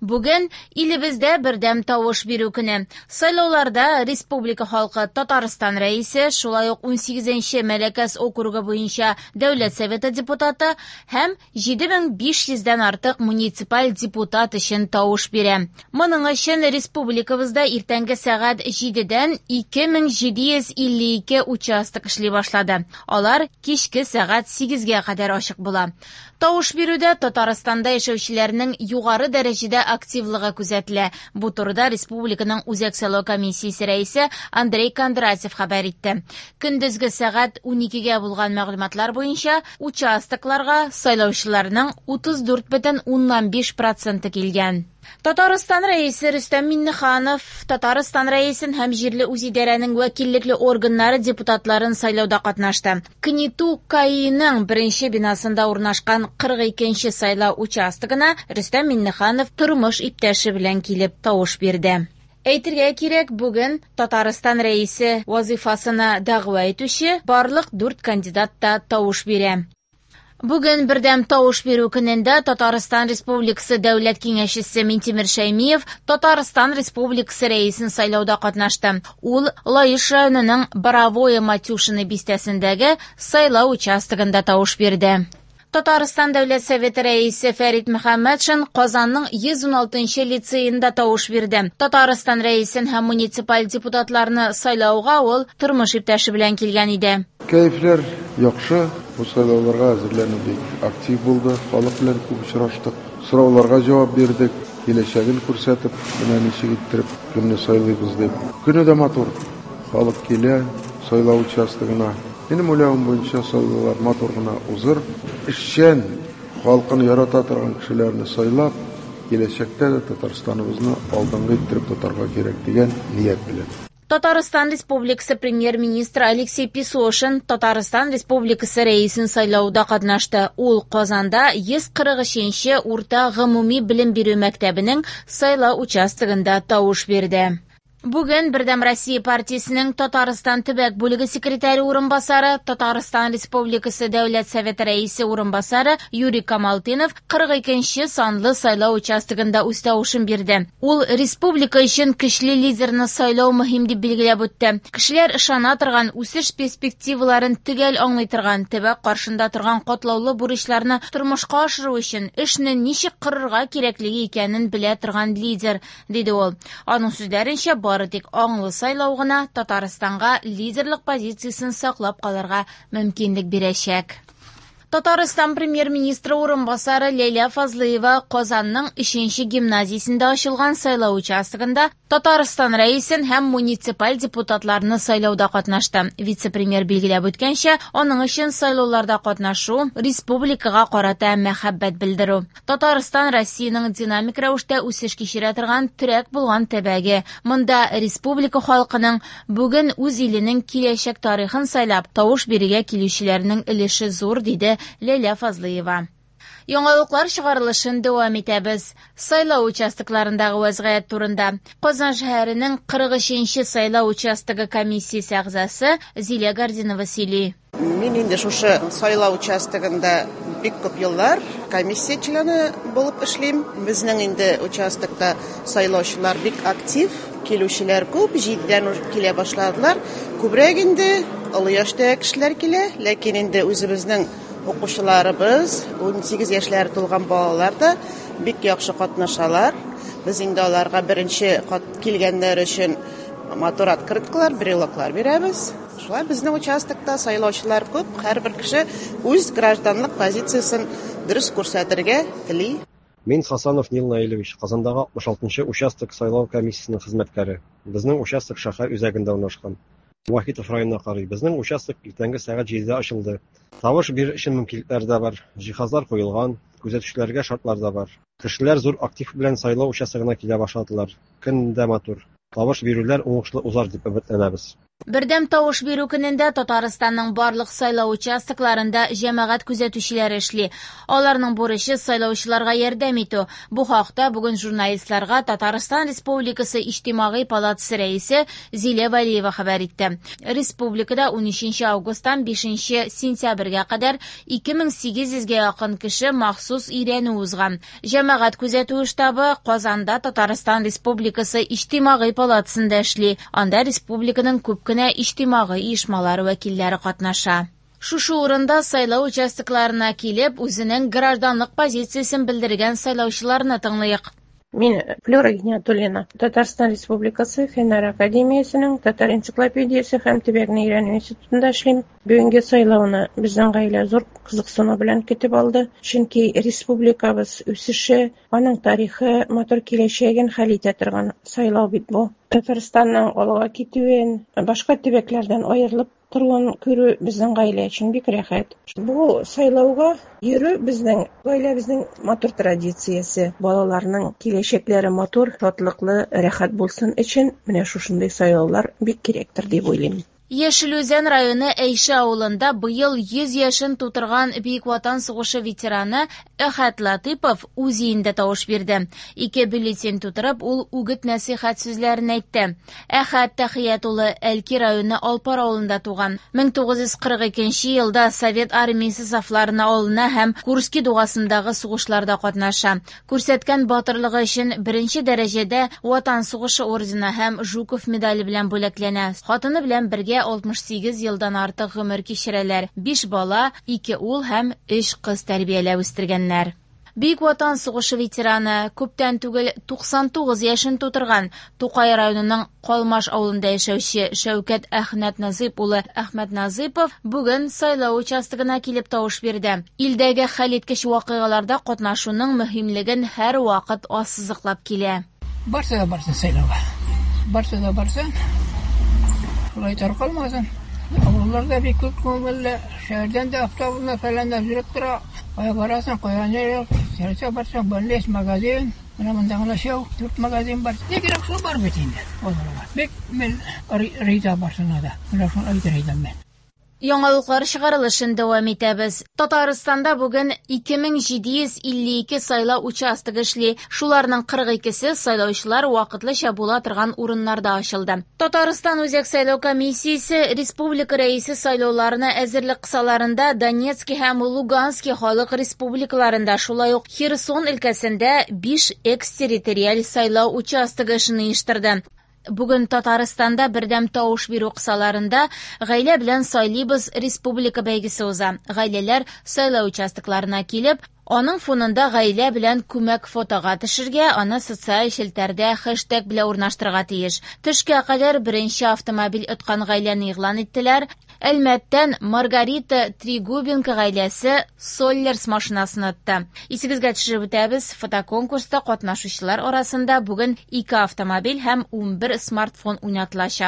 Бүген илебездә бердәм тавыш бирү көне. Сайлауларда республика халкы Татарстан Рәисе, шулай ук 18нче Мәләкәс округы буенча Дәүләт Советы депутаты һәм 7500 дән артык муниципаль депутат өчен тавыш бирә. Моның өчен республикабызда иртәнге сәгать 7дән 2752 участок эшли башлады. Алар кичке сәгать 8гә кадәр ачык була. Тавыш бирүдә Татарстанда яшәүчеләрнең югары дәрәҗәдә активлыгы күзәтелә. Бу турыда республиканың Үзәк сайлау комиссиясе рәисе Андрей Кондратьев хәбәр итте. Көндезге сәгать 12гә булган мәгълүматлар буенча участокларга сайлаучыларның 34,5 проценты килгән. Татарстан Рәисе Рөстәм Миңнеханов Татарстан Рәисен һәм җирле үзидарәнең вәкиллекле органнары депутатларын сайлауда катнашты. КНИТУ КАИның беренче бинасында урнашкан 42нче сайлау участогына Рөстәм Миңнеханов тормыш иптәше белән килеп тавыш бирде. Әйтергә кирәк, бүген Татарстан Рәисе вазыйфасына дәгъва итүче барлык дүрт кандидат та тавыш бирә. Бүген бердәм тавыш бирү көнендә Татарстан Республикасы Дәүләт Киңәшчесе Минтимер Шәймиев Татарстан Республикасы Рәисен сайлауда катнашты. Ул Лаеш районының Боровое Матюшино бистәсендәге сайлау участогында тавыш бирде. Татарстан Дәүләт Советы Рәисе Фәрит Мөхәммәтшин Казанның 116 лицеенда тавыш бирде. Татарстан Рәисен һәм муниципаль депутатларны сайлауга ул тормыш иптәше белән килгән иде. Кәефләр яхшы, бу сайлауларга әзерләнү бик актив булды, халык белән күп очраштык, сорауларга җавап бирдек, киләчәген күрсәтеп, менә ничек иттереп кемне сайлыйбыз дип. Көне дә матур, халык килә сайлау участогына. Минем уйлавым буенча сайлаулар матур гына узыр. Эшчән, халкын ярата торган кешеләрне сайлап, киләчәктә дә Татарстаныбызны алдынгы иттереп тотарга кирәк дигән ният белән. Татарстан Республикасы премьер-министры Алексей Песошин Татарстан Республикасы Рәисен сайлауда катнашты. Ул Казанда 143нче урта гомуми белем бирү мәктәбенең сайлау участогында тавыш бирде. Бүген Бердәм Россия партиясенең Татарстан төбәк бүлеге секретаре урынбасары, Татарстан Республикасы Дәүләт Советы Рәисе урынбасары Юрий Камалтынов 42нче санлы сайлау участогында үз тавышын бирде. Ул республика өчен көчле лидерны сайлау мөһим дип билгеләп үтте. Кешеләр ышана торган, үсеш перспективаларын төгәл аңлый торган, төбәк каршында торган катлаулы бурычларны тормышка ашыру өчен эшне ничек корырга кирәклеге икәнен белә торган лидер, диде ул. Аның сүзләренчә, бары тик аңлы сайлау гына Татарстанга лидерлык позициясен саклап калырга мөмкинлек бирәчәк. Татарстан премьер-министры урынбасары Ләйлә Фазлыева Казанның 3нче гимназиясендә ачылган сайлау участогында Татарстан Рәисен һәм муниципаль депутатларны сайлауда катнашты. Вице-премьер билгеләп үткәнчә, аның өчен сайлауларда катнашу республикага карата мәхәббәт белдерү. Татарстан Россиянең динамик рәвештә үсеш кичерә торган терәк булган төбәге. Монда республика халкының бүген үз иленең киләчәк тарихын сайлап, тавыш бирергә килүчеләрнең өлеше зур, диде Ләйлә Фазлыева. Яңалыклар чыгарылышын дәвам итәбез. Сайлау участокларындагы вәзгыять турында Казан шәһәренең 43нче сайлау участогы комиссиясе әгъзасы Зилә Гардинова сөйли. Мин инде шушы сайлау участогында бик күп еллар комиссия члены булып эшлим. Безнең инде участокта сайлаучылар бик актив, килүчеләр күп, 7дән килә башладылар. Күбрәк инде олы яшьтәге кешеләр килә, ләкин инде үзебезнең укучыларыбыз, 18 яшьләре тулган балалар да бик яхшы катнашалар. Без инде аларга беренче килгәннәр өчен матур открыткалар, брелоклар бирәбез. Шулай безнең участокта сайлаучылар күп, һәрбер кеше үз гражданлык позициясен дөрес күрсәтергә тели. Мин Хасанов Нил Наилевич, Казандагы 66нчы участок сайлау комиссиясенең хезмәткәре. Безнең участок шәһәр үзәгендә урнашкан. Вахитов районына карый. Безнең участок иртәнге сәгать 7дә ачылды. Тавыш бирер өчен мөмкинлекләр дә бар, җиһазлар куелган, күзәтүчеләргә шартлар да бар. Кешеләр зур актив белән сайлау участогына килә башладылар. Көн дә матур. Тавыш бирүләр уңышлы узар дип өметләнәбез. Бердәм тавыш бирү көнендә Татарстанның барлык сайлау участокларында җәмәгать күзәтүчеләре эшли. Аларның бурычы сайлаучыларга ярдәм итү. Бу хакта бүген журналистларга Татарстан Республикасы Иҗтимагый палатасы рәисе Зилә Вәлиева хәбәр итте. Республикада 13 августтан 5 сентябрьгә кадәр 2800 гә якын кеше махсус өйрәнү узган. Җәмәгать күзәтүе штабы Казанда Татарстан Республикасы Иҗтимагый палатасында эшли. Анда республиканың күп кенә иҗтимагый оешмалары вәкилләре катнаша. Шушы урында сайлау участокларына килеп, үзенең гражданлык позициясен белдергән сайлаучыларны тыңлыйк. Мин Флюра Гиниятуллина, Татарстан Республикасы Фәннәр академиясенең Татар энциклопедиясе һәм төбәкне өйрәнү институтында эшлим. Бүгенге сайлауны безнең гаилә зур кызыксыну белән көтеп алды, чөнки республикабыз үсеше, аның тарихы, матур киләчәген хәл итә торган сайлау бит бу. Татарстанның алга китүен, башка төбәкләрдән аерылып торуын күрү безнең гаилә өчен бик рәхәт. Бу сайлауга йөрү безнең гаиләбезнең матур традициясе. Балаларның киләчәкләре матур, шатлыклы, рәхәт булсын өчен менә шушындый сайлаулар бик кирәктер дип уйлыйм. Яшел Үзән районы Әйшә авылында быел 100 яшен тутырган Бөек Ватан сугышы ветераны Әхәт Латыйпов үз өендә тавыш бирде. Ике бюллетень тутырып, ул үгет-нәсыйхәт сүзләрен әйтте. Әхәт Тәхият улы Әлки районы Алпар авылында туган. 1942 елда Совет армиясе сафларына алына һәм Курский дугасындагы сугышларда катнаша. Күрсәткән батырлыгы өчен беренче дәрәҗәдә Ватан сугышы ордены һәм Жуков медале белән бүләкләнә. Хатыны белән бергә 68 елдан артык гомер кичерәләр. 5 бала, 2 ул һәм 3 кыз тәрбияләп үстергәннәр. Бөек Ватан сугышы ветераны, күптән түгел 99 яшен тутырган Тукай районының Калмаш авылында яшәүче Шәүкәт Әхмәтназыйп улы Әхмәтназыйпов бүген сайлау участогына килеп тавыш бирде. Илдәге хәлиткеч вакыйгаларда катнашуның мөһимлеген һәрвакыт ассызыклап килә. Барса да барсын сайлауга. Барса да барсын. Шулай таркалмасын. Авылларда бик күп күңелле, шәһәрдән дә автобуслар фәлән дә йөреп тора. Кая барасың, кая ни юк. Нәрсә барсаң, больниц, магазин. Менә монда гына шәү, 4 магазин бар. Ни кирәк шул бар бит инде. Аларга. Бик мин риза барсына да. Менә шуны әйтер идем мин. Яңалыклар чыгарылышын дәвам итәбез. Татарстанда бүген 2752 сайлау участогы эшли. Шуларның 42-се сайлаучылар вакытлыча була торган урыннарда ачылды. Татарстан Үзәк сайлау комиссиясе республика рәисе сайлауларына әзерлек кысаларында Донецкий һәм Луганский халык республикаларында, шулай ук Херсон өлкәсендә 5 экстерриториаль сайлау участогы эшен оештырды. Бүген Татарстанда бердәм тавыш бирү кысаларында гаилә белән сайлыйбыз республика бәйгесе уза. Гаиләләр сайлау участокларына килеп, аның фонында гаилә белән күмәк фотога төшергә, аны социаль челтәрдә хэштег белән урнаштырырга тиеш. Төшкә кадәр беренче автомобиль откан гаиләне игълан иттеләр. Әлмәттән Маргарита Тригубенко гаиләсе Соллерс машинасын отты. Исегезгә төшереп үтәбез, фотоконкурста катнашучылар арасында бүген 2 автомобиль һәм 11 смартфон уйнатылачак.